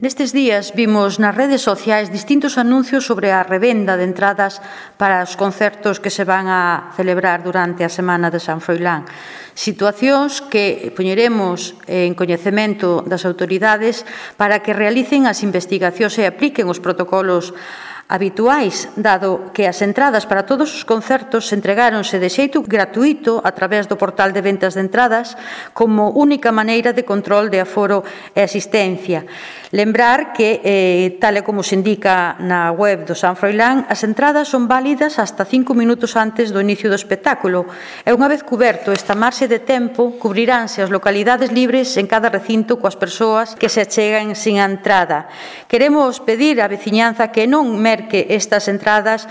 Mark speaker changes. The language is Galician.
Speaker 1: Nestes días vimos nas redes sociais distintos anuncios sobre a revenda de entradas para os concertos que se van a celebrar durante a Semana de San Froilán. Situacións que poñeremos en coñecemento das autoridades para que realicen as investigacións e apliquen os protocolos habituais, dado que as entradas para todos os concertos entregáronse de xeito gratuito a través do portal de ventas de entradas como única maneira de control de aforo e asistencia. Lembrar que, tal e como se indica na web do San Froilán, as entradas son válidas hasta 5 minutos antes do inicio do espectáculo e unha vez cuberto esta marxe de tempo, cubriránse as localidades libres en cada recinto coas persoas que se achegan sin a entrada. Queremos pedir á veciñanza que non merque estas entradas